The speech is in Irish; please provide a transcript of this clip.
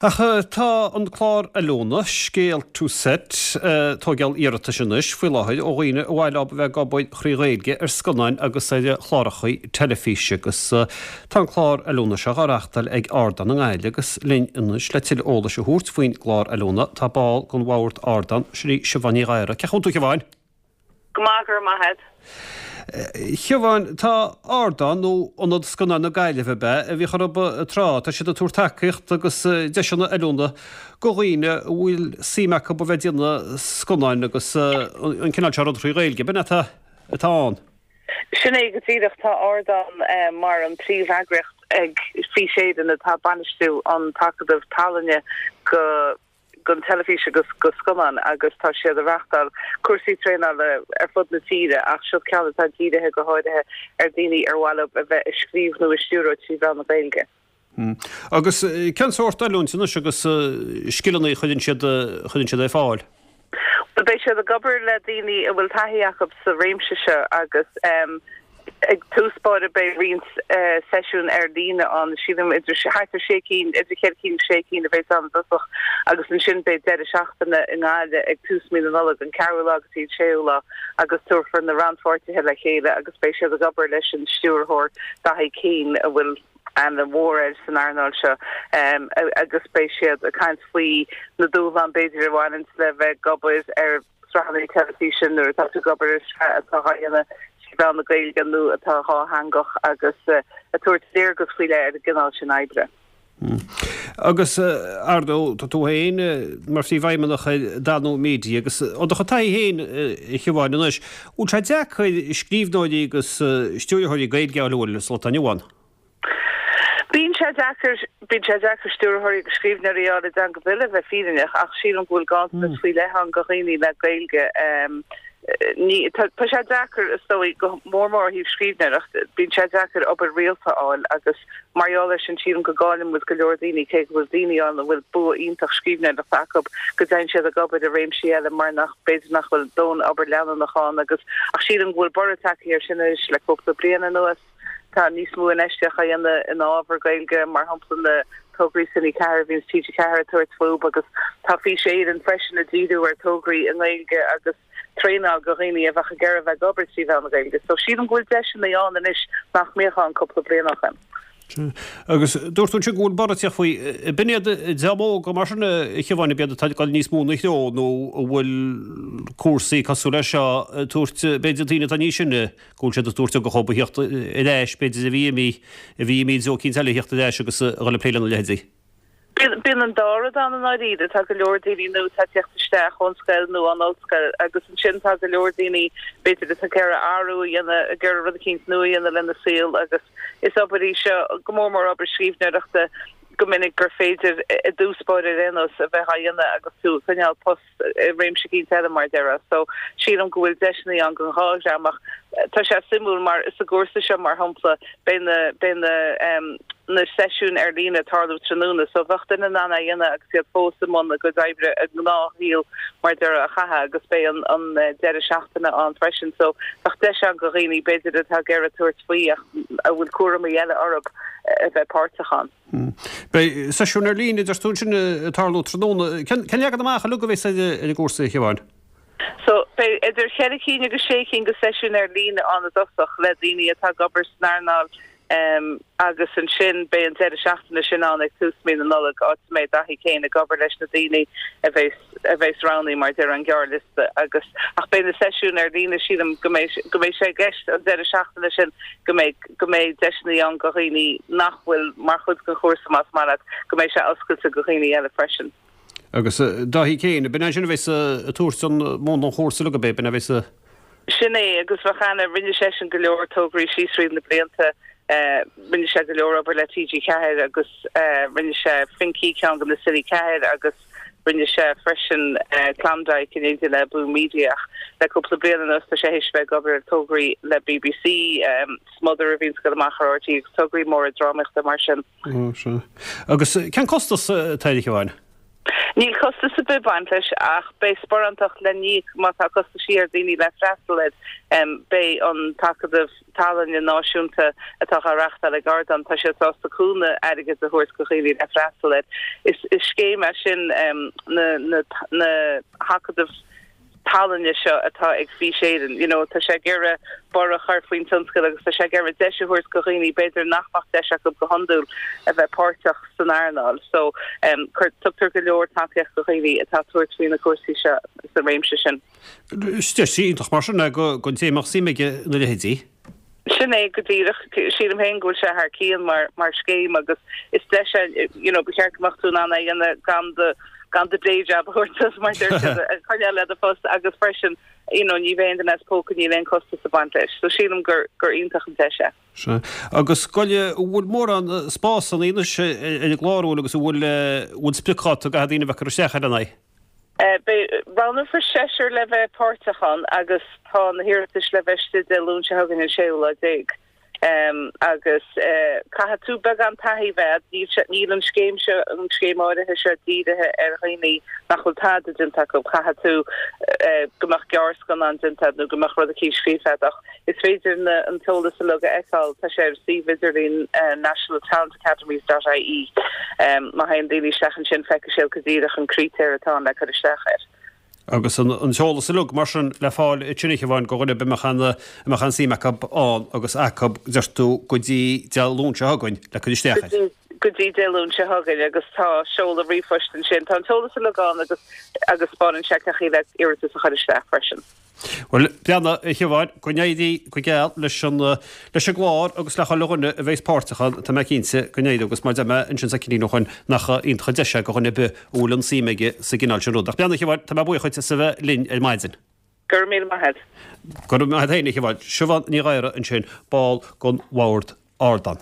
Ach tá an clár oiliúna, Scéal to Set, ag tóigeáil iarratais anois faoi láthair ó dhaoine ar mhaith leo a bheith ag obair thrí Ghaeilge ar scannáin agus ar chláracha teilifíse agus tá an clár oiliúna seo á reachtáil ag Ardán i nGaillimh agus linn anois le tuilleadh eolais a thabhairt faoin gclár oiliúna tá ball den bhord Ardán, sin í Siobhán Ní Ghadhra. Cén chaoi a bhfuil tú a Shiobháin? Go maith, go raibh maith a't. Shiobháin, tá Ardán, nó Ionad Scannán na Gaillimhe ab ea, a bhíodh orthu tráth, tá siad ag tabhairt tacaíocht agus deiseanna oiliúna do dhaoine a bhfuil suim acu a bheith ag déanamh scannáin agus an cineál seo rud thrí Ghaeilge. B'in atá atá ann. Sin é go díreach. Tá Ardán mar an príomheagraíocht ag Fís Éireann atá ag bainistiú an tAcadamh Tallainne go don teilifís agus do scannáin agus tá siad ag reachtáil cúrsaí traenála ar fud na tíre ach seo ceann atá dírithe go háirithe ar daoine ar mhaith leo a bheith ag scríobh nó ag stiúradh trí mheán na Gaeilge. Agus cén sórt oiliúint anois agus scileanna a chuireann siad chuireann siad ar fáil? Bhuel beidh siad ag obair le daoine a bhfuil taithí acu sa réimse seo agus Ag tús báire beidh roinnt seisiún ar líne ann, sílim idir thart ar sé cinn, idir cheithre cinn agus sé cinn a bheas ann i dtosach agus ansin beidh deireadh seachtaine i nGaillimh ag tús mí na Nollag, an ceathrú lá go dtí an séú lá agus tabharfar na rannpháirtithe le chéile agus beidh siad ag obair leis an stiúrthóir Dathaí Keane a bhfuil aithne mhór air san earnáil seo agus beidh siad ag caint faoi na dúshláin b'fhéidir a bhaineanns le bheith ag obair ar sraitheanna teilifíse nuair atá tú ag obair ar shraith atá á dhéanamh trí mheán na Gaeilge nó atá dhátheangach agus ag tabhairt léargas faoi leith ar an gcineál sin oibre. Agus, ar ndóigh, tá tú féin mar phríomhfheidhmeannach ar Danú Media agus ó do chuid taithí féin, a Shiobháin, anois, bhfuil sé deacair scríbhneoirí agus stiúrthóirí Gaeilge a fháil sa lá atá inniu ann? Bíonn sé deacair, bíonn sé deacair stiúrthóirí agus scríbhneoirí a fháil i dteanga ar bith le bheith fírinneach ach sílim go bhfuil ganntanas faoi leith ann do dhaoine le Gaeilge. Ní, tá, tá sé deacair is dóigh, go mór mór ó thaobh scríbhneoireacht, bíonn sé deacair obair rialta a fháil agus mar gheall air sin sílim go gcailleann muid go leor daoine cé go bhfuil daoine ann a bhfuil bua iontach scríbhneoireachta acu go dtéann siad ag obair i réimsí eile mar nach, b'fhéidir nach bhfuil dóthain obair leanúnach ann agus ach sílim go bhfuil borradh tagtha air sin anois le cúpla bliain anuas. Tá níos mó infheistíocht á dhéanamh in ábhar Gaeilge, mar shampla na tograí Cine 4 a bhíonns TG4 ag tabhairt fúthu agus tá Fís Éireann freisin ag díriú ar tograí i nGaeilge agus traenáil do dhaoine a bheadh ag iarraidh a bheith ag obair trí mheán na Gaeilge. So sílim go bhfuil deiseanna ann anois nach mbíodh ann cúpla bliain ó shin. Agus dúirt tú ansin go bhfuil borradh ag teacht faoi. B'in iad an dream óg mar sin a Shiobháin, ab iad atá ag dul níos mó ina threo nó an bhfuil cúrsaí cosúil leis seo ag tabhairt, b'fhéidir daoine atá níos sine, go bhfuil siad ag tabhairt ugach dhóibh a theacht ar ais, b'fhéidir, a bhí imithe, a bhí imithe i dtreo eicínt eile a theacht ar ais agus a dhul ag plé lena leithéidí. Bíonn an dá rud ann i ndáiríre. Tá go leor daoine nua atá ag teacht isteach ón scoil nó ón ollscoil agus ansin tá go leor daoine, b'fhéidir, atá ag iarraidh athrú a dhéanamh, ag iarraidh rud eicínt nua a dhéanamh lena saol agus is obair í seo, go mór mór obair scríbhneoireachta, go minic gur féidir, i dtús báire ar aon nós, a bheith á dhéanamh agus tú ag coinneáil post. i réimse eicínt eile mar a déarfá. So, sílim go bhfuil deiseanna ann don dhá dhream ach tá sé suimiúil mar sa gcúrsa seo mar shampla beidh na beidh na em na seisiúin ar líne ag tarlú tráthnóna so bheadh duine in ann é a dhéanamh agus iad fós i mbun a gcuid oibre a ngnáthshaol mar a déarfá a chaitheamh agus beidh an an deireadh seachtaine ann freisin so bheadh deis ann do dhaoine b'fhéidir atá ag iarraidh tabhairt faoi ach a bhfuil cúramaí eile orthu a bheith páirteach ann. Beidh seisiúin ar líne, a deir tú ansin, ag tarlú tráthnóna. Cén leagan amach uilig a bheas ar an gcúrsa, a Shiobháin? So, beidh idir cheithre cinn agus sé cinn de seisiúin ar líne ann i dtosach le daoine atá ag obair san earnáil agus ansin beidh an deireadh seachtaine sin ann ag tús mí na Nollag, áit a mbeidh Daithí Keane ag obair leis na daoine a bheas a bheas roghnaithe mar a déarfá an gearrliosta agus ach beidh na seisiúin ar líne sílim go mbeidh go mbeidh sé i gceist an deireadh seachtaine sin go mbeidh go mbeidh deiseanna ann do dhaoine nach bhfuil mar chuid den chúrsa más maith leat go mbeidh sé oscailte do dhaoine eile freisin. Agus Dáithí Keane, b'in é sin a bheas ag tabhairt an múnla an chúrsa uilig ab é, b'in é a bheas ag. Sin é agus bheadh aithne, rinne seisean go leor tograí síos thríd na blianta, rinne sé go leor obair le TG4 agus rinne sé Finky, ceann de na Cine 4 agus Rinne sé freisin Klondike in éindí le Boom Media ach le cúpla bliain anuas tá sé théis bheith ag obair ar tograí le BBC, Smother a bhíonns ag dul amach ar RTÉ agus tograí móra drámaíochta mar sin. Ó, sea. Agus cén costas atá air, a Shiobháin? Níl costas ar bith ag baint leis ach beidh sparántacht le n-íoc má tá costaisí ar dhaoine le freastal air. Beidh an tAcadamh Tallainne Náisiúnta atá á reachtáil ag Ardán, tá siad sásta cúnamh airgid a thabhairt go dhaoine le freastal air. Is scéim é sin na na hAcadaimh tallainne seo atá ag Fís Éireann. You know, tá sé ag iarraidh borradh a chur faoin tionscal agus tá sé ag iarraidh deis a thabhairt go dhaoine b'fhéidir nach mbeadh deis acu go hiondúil a bheith páirteach san earnáil. So, um, cur, tugtar go leor tacaíocht go dhaoine atá ag tabhairt faoi na cúrsaí seo sa réimse sin. Is deis iontach mar sin é go, don té a mbeadh suim aige ina leithéidí. Sin é go díreach. Sílim féin go bhfuil sé thar cionn mar mar scéim agus is deis é, you know, ba cheart go mbeadh tú in ann é a dhéanamh gan do gan do day job a thabhairt suas mar deir siad a choinneáil le do phost agus freisin, you know, ní bheidh aon duine as póca, níl aon costas ag baint leis. So sílim gur gur iontach an deis é. Sea. Agus goile, an bhfuil mórán spás ann anois ar an gclár, an bhfuil agus an bhfuil bhfuil spriocdháta go daoine a bheith ag cur isteach air an é? Beidh, roghnófar seisear le bheith páirteach ann agus tá na hiarratais le bheith istigh Dé Luain seo chugainn an séú lá déag. Agus caithfidh tú beagán taithí a bheith agat, níl sé, níl an scéim seo, an scéim áirithe seo dírithe ar dhaoine nach bhfuil tada déanta acu. Caithfidh tú go mbeadh gearrscannán déanta agat nó go mbeadh rud eicínt scríofa agat ach is féidir na, an t-eolas uilig a fheiceáil, tá sé ar suíomh idirlín National Talent Academies dot ie. Má théann daoine isteach ansin feicfidh siad go díreach an critéar atá ann le cur isteach air. Agus an t-eolas uilig mar sin le fáil ansin a Shiobháin go dhuine ar bith a mbeadh an, a mbeadh an suim acu ann agus acu, deir tú, go dtí Dé Luain seo chugainn le cur isteach air. Go dtí Dé Luain seo chugainn agus tá seoladh ríomhphoist ansin. Tá an t-eolas uilig ann agus agus 'spáineann sé cén chaoi le iarratas a chur isteach freisin. Bhuel, breathnaigh, a Shiobháin, go n-éirí go geal leis an, leis an gclár agus le chuile dhuine a bheas páirteach ann, tá mé cinnte go n-éireoidh agus mar a deir mé ansin soicindín ó shoin nach iontach an deis é go dhuine ar bith a bhfuil an suim aige sa gcineál sin rud. Ach breathnaigh, a Shiobháin, tá mé buíoch dhuit as a bheith linn ar maidin. Go raibh míle maith agat. Go raibh maith agat féin, a Shiobháin. Siobhán Ní Ghadhra ansin, ball den Bhord Ardán.